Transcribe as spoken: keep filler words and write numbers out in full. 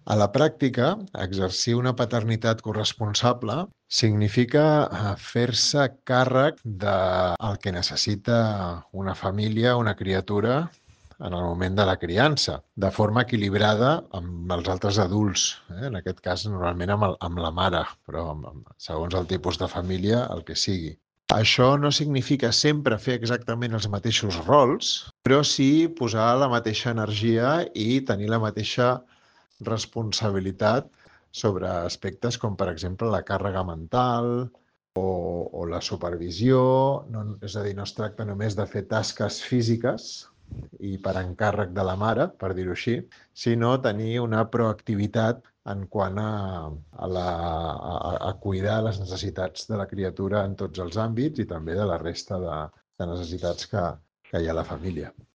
A la pràctica, exercir una paternitat corresponsable significa eh, fer-se càrrec del que necessita una família, una criatura, en el moment de la criança, de forma equilibrada amb els altres adults, eh? En aquest cas, normalment amb, el, amb la mare, però amb, amb, segons el tipus de família, el que sigui. Això no significa sempre fer exactament els mateixos rols, però sí posar la mateixa energia i tenir la mateixa responsabilitat sobre aspectes com, per exemple, la càrrega mental o, o la supervisió. No, és a dir, no es tracta només de fer tasques físiques i per encàrrec de la mare, per dir-ho així, sinó tenir una proactivitat en quant a, a, la, a, a cuidar les necessitats de la criatura en tots els àmbits i també de la resta de, de necessitats que, que hi ha a la família.